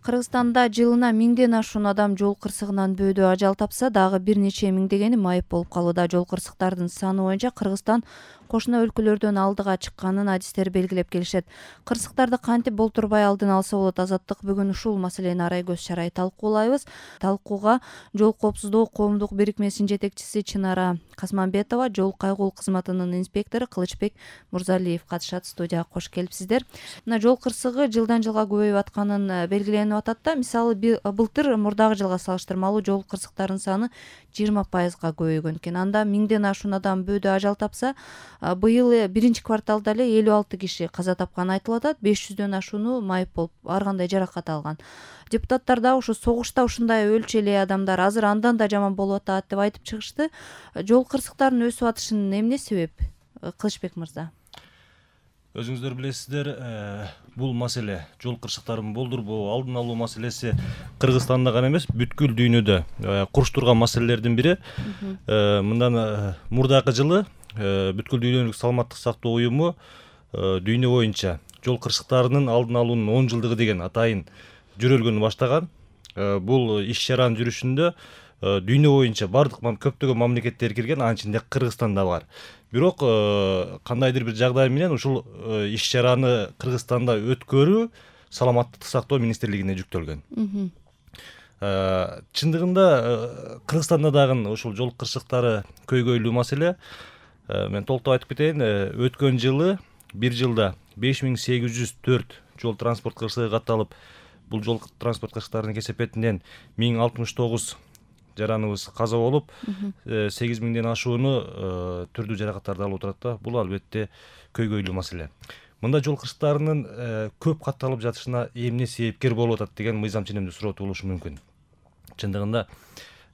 Кыргызстанда жылына 1000ден ашуун адам жол кырсыгынан бөөдө ажал тапса, дагы бир нече миңдегени майып болуп калууда. Жол кырсыктардын саны боюнча Кыргызстан кошуна өлкөлөрдөн алдыга чыкканын адистер белгилеп келишет. Кырсыктарды кантип болтурбай алдын алса болот? Азаттык бүгүн ушул маселени арай көз чарай талкуулайбыз. Талкууга Жол коопсуздугу коомдук бирикмесинин жетекчиси Чынара Касманбетова, жол кайгылуу кызматынын инспектору Кылычбек Мурзалиев катышат. Студияга кош келипсиздер. Мына жол кырсыгы жылдан жылга көбөйүп атканын белгиленип атат да. Мисалы былтыр мурдагы жылга салыштырмалуу жол кырсыктарынын саны 20%га көбөйгөн экен. Анда 1000ден ашуун адам бөөдө ажал тапса, быйыл биринчи кварталда эле 56 киши каза тапканы айтылып атат. 500дөн ашууну майып болуп, ар кандай жаракат алган. Депутаттар да ушу согушта ушундай өлчү эле адамдар азыр андан да жаман болуп атат деп айтып чыгышты. Жол кырсыктарынын өсүп атышынын эмне себеп? Кылычбек мырза. Өзүңүздөр билесиздер, бул маселе жол кырсыктарын болдурбоо, алдын алуу маселеси Кыргызстанда гана эмес, бүткүл дүйнөдө куруш турган маселелердин бири. Мындан мурдагы жылы бүткүл дүйнөлүк саламаттык сактоо уюму дүйнө боюнча жол кырсыктарынын алдын алуунун 10 жылдыгы деген атайын жүрөлгөнү баштаган. Бул иш чаранын жүрүшүндө дүйнө боюнча бардык көптөгөн мамлекеттер кирген, анын ичинде Кыргызстан да бар. Бирок кандайдыр бир жагдай менен ушул иш чараны Кыргызстанда өткөрүү саламаттык сактоо министрлигине жүктөлгөн. Чындыгында Кыргызстанда дагы ушул жол кырсыктары көйгөйлүү маселе. Мен толуктап айтып кетейин. Өткөн жылы бир жылда 5804 жол транспорт кырсыгы катталып, бул жол транспорт кырсыктарынын кесепетинен 1069 жараныбыз каза болуп, 8000ден ашууну түрдүү жаракаттарды алып отурат да. Бул албетте көйгөйлүү маселе. Мында жол кырсыктарынын көп катталып жатышына эмне себепкер болуп атат деген мыйзам ченемдүү суроо туулушу мүмкүн. Чындыгында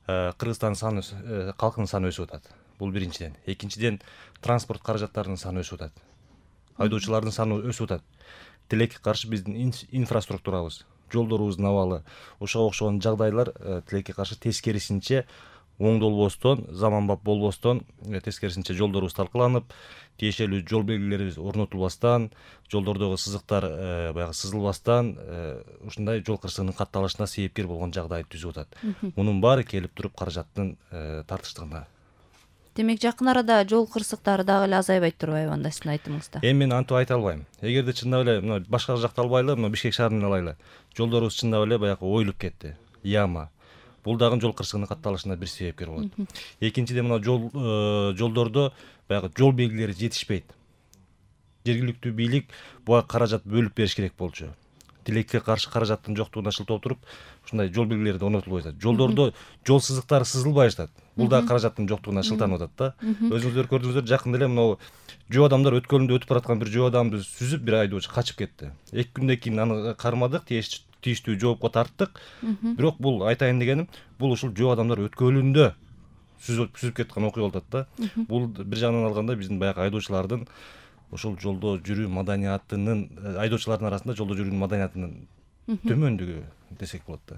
Кыргызстандын саны, калкынын саны өсүп атат. Бул биринчиден. Экинчиден, транспорт каражаттарынын саны өсүп атат. Айдоочулардын саны өсүп атат. Тилекке каршы биздин инфраструктурабыз, жолдорубуздун абалы, ошого окшогон жагдайлар тилекке каршы тескерисинче оңдолбостон, заманбап болбостон, тескерисинче жолдорубуз талкаланып, тиешелүү жол белгилери орнотулбастан, жолдордогу сызыктар баягы сызылбастан, ушундай жол кырсыгынын катталышына себепкер болгон жагдай түзүп атат. Мунун баары келип туруп каражаттын тартыштыгына. Демек, жакын арада жол кырсыктары дагы эле азайбайт турбайбы анда сиздин айтымыңызда? Мен антип айта албайм. Эгерде чындап эле башка жакты албайлы, Бишкек шаарын алайлы. Жолдорубуз чындап эле баягы оюлуп кетти. Яма. Бул дагы жол кырсыгынын катталышына бир себепкер болот. Экинчиден, жолдордо баягы жол белгилери жетишпейт. Жергиликтүү бийлик буга каражат бөлүп бериш керек болчу. Тилекке каршы каражаттын жоктугуна шылтоо туруп, ушундай жол белгилери орнотулбай жатат. Жолдордо жол сызыктары сызылбай жатат. Бул да каражаттын жоктугуна шылтанып атат да. Өзүңүздөр көрдүңүздөр, жакында эле мынау жөө адамдар өткөлүндө өтүп бараткан бир жөө адамды сүзүп, бир айдоочу качып кетти. 2 күндөн кийин аны кармадык, тийиштүү жоопко тарттык. Бирок бул айтайын дегеним, бул ушул жөө адамдар өткөлүндө сүзүп кеткен окуя болуп атат да. Бул бир жагынан алганда биздин баягы айдоочулардын ошол жолдо жүрүү маданиятынын, айдоочулардын арасында жолдо жүрүүнүн маданиятынын төмөндүгү десек болот да.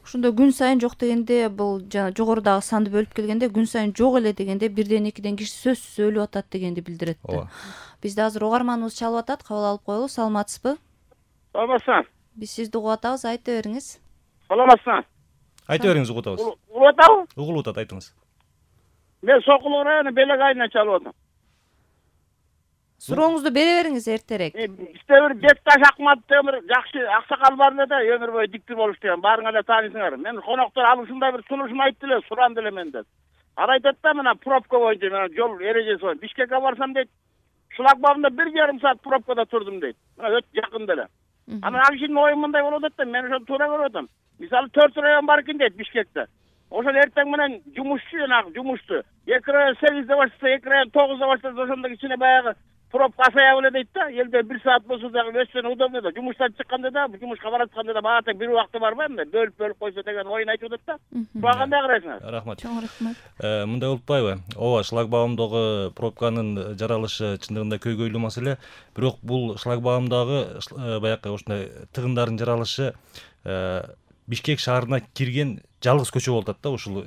Ошондо күн сайын жок дегенде, бул жана жогорудагы санды бөлүп келгенде, күн сайын жок эле дегенде, бирден экиден киши сөзсүз өлүп атат дегенди билдирет да. Бизде азыр угарманыбыз чалып атат, кабыл алып коелу. Саламатсызбы? Саламатсызбы? Биз сизди угуп атабыз, айта бериңиз. Саламатсызбы? Айта бериңиз, угуп атабыз. Угуп атабы? Угулуп атат, айтыңыз. Мен Сокулук району Белек айынан чалып атам. Сурооңузду бере бериңиз эртерээк. Бизде бир Бекташ Акматов деген бир жакшы аксакал бар эле да, өмүр бою диктир болуш деген. Баарыңар эле тааныйсыңар. Мен коноктор алып ушундай бир сунушун айтты эле, суранды эле менден. Ар айтат да, мына пробка боюнча, мына жол эрежеси боюнча. Бишкекке барсам дейт, шлагбаумда 1,5 саат пробкада турдум дейт. Мына өтө жакында эле. Анан ал кишинин оюу мындай болуп атат да, мен ошону туура көрүп атам. Мисалы 4 район бар экен дейт Бишкекте. Ошол эртең менен жумушчу жанагы жумушту 2 район 8-де баштаса, 2 район 9-да баштаса, ошондо кичине баягы пробка азая беле дейт да. Элде 1 саат болсо дагы өссөн удобно да. Жумуштан чыкканда да, жумушка баратканда да баата бир убакты барбайбы, бөлүп койсо деген оюн айтып атат да. Буга кандай карайсыңар? Рахмат. Чоң рахмат. Мындай болуп атпайбы? Ооба, шлагбаумдогу пробканын жаралышы чындыгында көйгөйлүү маселе. Бирок бул шлагбаумдагы баягы ушундай тыгындардын жаралышы Бишкек шаарына кирген жалгыз көчө болуп атат да, ушул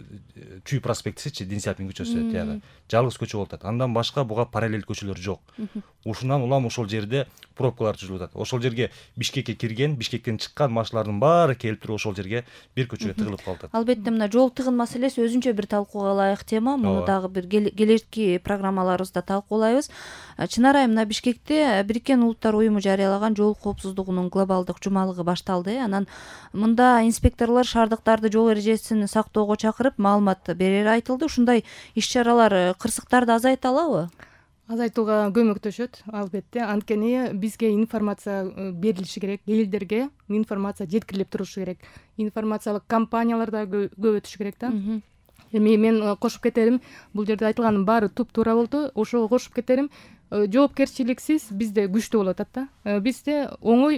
Чүй проспектисичи, Дин Сяопин көчөсү тияга жалгыз көчө болуп атат. Андан башка буга параллель көчөлөр жок. Ушундан улам ошол жерде пробкалар түзүлүп атат. Ошол жерге Бишкекке кирген, Бишкектен чыккан машиналардын баары келип туруп ошол жерге бир көчөгө тыгылып калып атат. Албетте мына жол тыгын маселеси өзүнчө бир талкууга ылайык тема. Муну дагы бир келечки программаларыбызда талкуулайбыз. Чынар айым, мына Бишкекте Бириккен Улуттар уюму жарыялаган жол коопсуздугунун глобалдык жумалыгы башталды. Анан мында инспекторлор шаардыктарды жол эрежесин сактоого чакырып маалымат берери айтылды. Ушундай иш-чаралар кырсыктарды азайта алабы? Азайтууга көмөктөшөт, албетте. Анткени бизге информация берилиши керек, элдерге информация жеткирилип турушу керек. Информациялык кампаниялар да көп өтүшү керек да. Эми мен кошуп кетерим, бул жерде айтылганын баары туп-туура болду. Ошого кошуп кетерим, жоопкерчиликсиз бизде күчтүү болуп атат да. Бизде оңой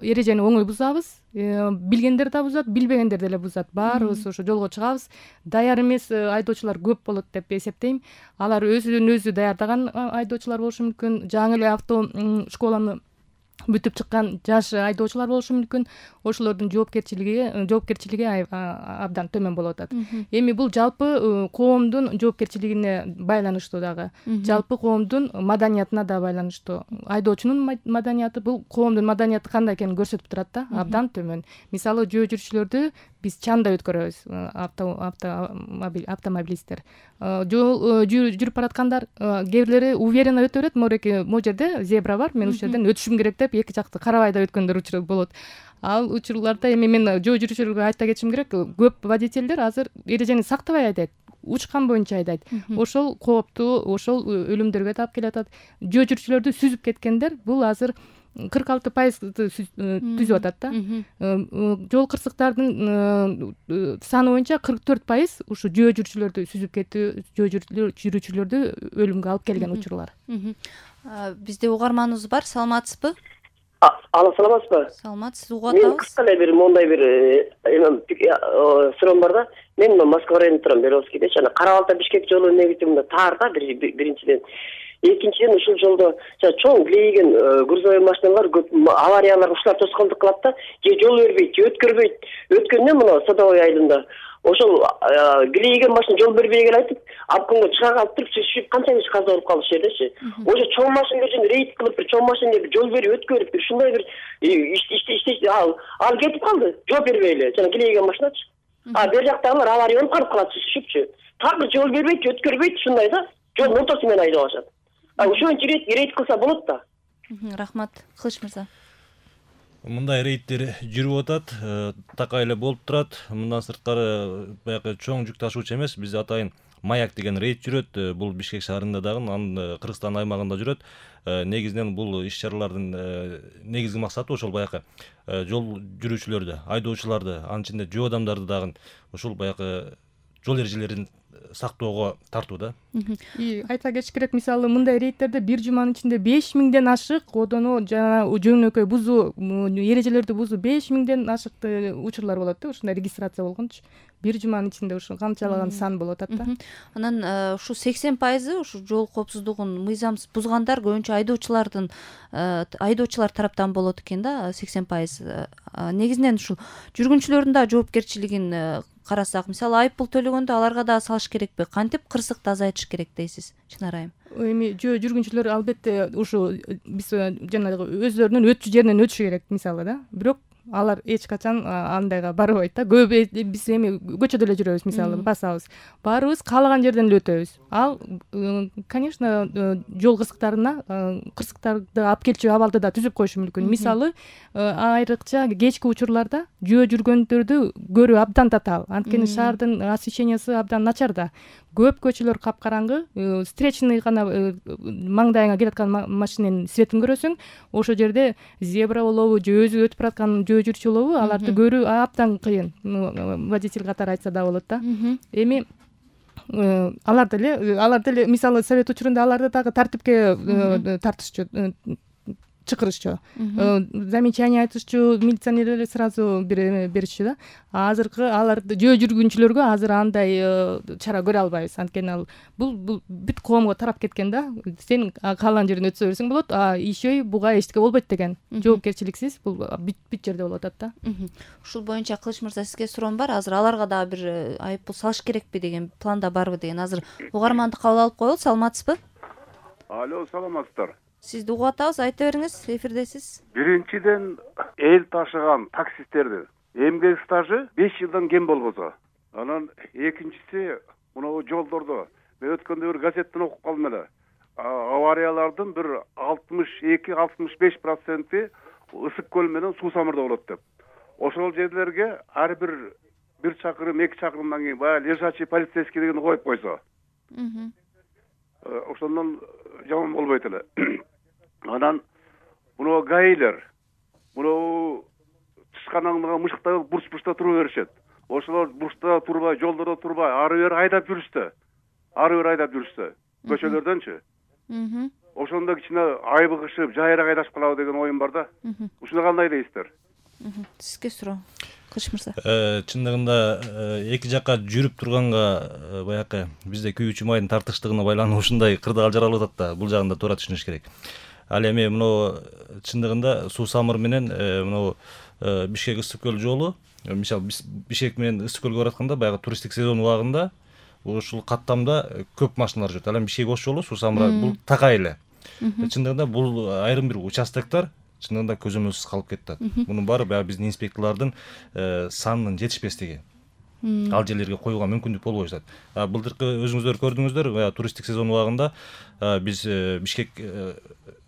эрежени оңой бузабыз, билгендер да бузат, билбегендер деле бузат. Баарыбыз ошо жолго чыгабыз. Даяр эмес айдоочулар көп болот деп эсептейм. Алар өзүн өзү даярдаган айдоочулар болушу мүмкүн. Жаңы эле авто школаны бүтүп чыккан жаш айдоочулар болушу мүмкүн. Ошолордун жоопкерчилиги абдан төмөн болуп атат. Эми бул жалпы коомдун жоопкерчилигине байланыштуу дагы. Жалпы коомдун маданиятына да байланыштуу. Айдоочунун маданияты бул коомдун маданияты кандай экенин көрсөтүп турат да, абдан төмөн. Мисалы жөө жүрүүчүлөрдү биз чанда өткөрөбүз, автомобилисттер. Жол жүрүп бараткандар кээ бирлери уверенно өтө берет. Могу жерде зебра бар, мен ушул жерден өтүшүм керек деп эки жакты карабай да өткөндөр учур болот. Ал учурларда эми мен жөө жүрүүчүлөргө айта кетишим керек, көп водительдер азыр эрежени сактабай айдайт, учкан боюнча айдайт. Ошол кооптуу, ошол өлүмдөргө да алып келатат. Жөө жүрүүчүлөрдү сүзүп кеткендер бул азыр 46% түзүп атат да. Жол кырсыктардын саны боюнча 44% ушу жөө жүрүүчүлөрдү сүзүп кетүү, жөө жүрүүчүлөрдү өлүмгө алып келген учурлар. Бизде угарманыбыз бар, саламатсызбы? Ала, саламатсызбы? Саламат, сиз угуп атабыз. Мен кыска эле бир мондай бир суроом бар да. Мен Москва районунда турам, Беловскийдечи. Ана Кара-Балта Бишкек жолу негизи мында таар да, биринчиден. Экинчиден ушул жолдо чоң килейген грузовой машиналар көп авариялар ушулар тоскоолдук кылат да. Же жол бербейт, же өткөрбөйт. Өткөндө мына Садовой айылында ошол килейген машина жол бербей келатып, обкомго чыга калып туруп, сүзүшүп канча каза болуп калды ушул жердечи. Ошо чоң машина үчүн рейд кылып, бир чоң машина жол берип өткөрүп, бир ушундай бир иште ал кетип калды, жооп бербей эле. Жана килейген машиначы. Бер жактагылар авария болуп калып калат, сүзүшүпчү. Так жол бербейт, өткөрбөйт, ушундай да. Жол ортосу менен айдап атышат. Ошон рейд кылса болот да. Рахмат, Кылыч мырза. Мындай рейдтер жүрүп атат, такай эле болуп турат. Мындан сырткары баягы чоң жүк ташуучу эмес, бизде атайын Маяк деген рейд жүрөт. Бул Бишкек шаарында дагы, анын Кыргызстан аймагында жүрөт. Негизинен бул иш-чаралардын негизги максаты ошол баягы жол жүрүүчүлөрдү, айдоочуларды, анын ичинде жөө адамдарды дагы ушул баягы жол эрежелерин сактоого тартуу да. Айта кетиш керек, мисалы мындай рейдтерде бир жуманын ичинде 5000ден ашык одону жана жөнөкөй бузуу, эрежелерди бузуу 5000ден ашык учурлар болот да, ушундай регистрация болгончу. Бир жуманын ичинде ушу канчалаган сан болуп атат да. Анан ушу 80% ушу жол коопсуздугун мыйзамсыз бузгандар көбүнчө айдоочулар тараптан болот экен да, 80%. Негизинен ушул жүргүнчүлөрдүн да жоопкерчилигин карасак, мисалы айыппул төлөгөндө аларга да салыш керекпи? Кантип кырсыкты азайтыш керек дейсиз, Чынар айым? Эми жүргүнчүлөр албетте ушу биз жанагы өздөрүнүн өтчү жеринен өтүшү керек мисалы да. Бирок алар эч качан андайга барбайт да. Көп биз эми көчөдө эле жүрөбүз, мисалы басабыз. Баарыбыз каалаган жерден эле өтөбүз. Ал, конечно, жол кырсыктарды алып келчү абалды да түзүп коюшу мүмкүн. Мисалы, айрыкча кечки учурларда жөө жүргөндөрдү көрүү абдан татаал. Анткени шаардын освещениясы абдан начар да. Көп көчөлөр капкараңгы, встречный гана маңдайыңа келаткан машинанын светин көрөсүң. Ошол жерде зебра болобу, же өзү өтүп бараткан жөө жүрчү болобу, аларды көрүү абдан кыйын. Водитель катары айтса да болот да. Эми алар деле мисалы совет учурунда аларды дагы тартипке тартышчу, чакырышчу, замечание айтышчу, милиционерлер сразу беришчү да. Азыркы аларды жөө жүргүнчүлөргө азыр андай чара көрө албайбыз, анткени ал бул бүт коомго тарап кеткен да. Сен каалаган жерден өтсө берсең болот, еще буга эчтеке болбойт деген жоопкерчиликсиз бул бүт жерде болуп атат да. Ушул боюнча Кылыч мырза, сизге суроом бар. Азыр аларга дагы бир айыппул салыш керекпи деген планда барбы деген. Азыр угарманды кабыл алып коелу. Саламатсызбы? Алло, саламатсыздар. Сизди угуп атабыз, айта бериңиз, эфирдесиз. Биринчиден эл ташыган таксисттердин эмгек стажы 5 жылдан кем болбосо. Анан экинчиси мына жолдордо мен өткөндө бир газеттен окуп калдым эле. Авариялардын бир 62-65% ысык көл менен суу самырда болот деп. Ошол жерлерге ар бир чакырым, 2 чакырымдан кийин баягы лежачий полицейский деген коюп койсо. Ошондон жаман болбойт эле. Анан мына гаилер мына тышканаңдыга мышыкта бурч-бурчта тура беришет. Ошолор бурчта турбай, жолдордо турбай, ары бери айдап жүрүштү. Көчөлөрдөнчү. Ошондо кичине айбыгышып, жайыраак айдашып калабы деген оюм бар да. Ушуну кандай дейсиздер? Сизге суроо. Кылыч мырза. Чындыгында эки жакка жүрүп турганга баягы бизде күйүүчү майдын тартыштыгына байланып ушундай кырдаал жаралып атат да, бул жагын да туура түшүнүш керек. Ал эми мына чындыгында суу самыр менен мына Бишкек ысык көл жолу, мисалы Бишкек менен ысык көлгө баратканда баягы туристтик сезон убагында ушул каттамда көп машиналар жүрөт. Ал эми Бишкек ош жолу, суу самыр бул такай эле. Чындыгында бул айрым бир участоктор чындыгында көзөмөлсүз калып кетти. Мунун баары баягы биздин инспекторлордун санынын жетишпестиги. Ал жерлерге коюуга мүмкүндүк болбой жатат. Былтыркы өзүңүздөр көрдүңүздөр, баягы туристтик сезон убагында биз Бишкек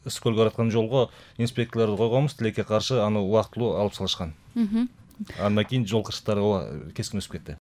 ысык көлгө бараткан жолго инспекторлорду койгонбуз, тилекке каршы аны убактылуу алып салышкан. Андан кийин жол кырсыктары кескин өсүп кетти.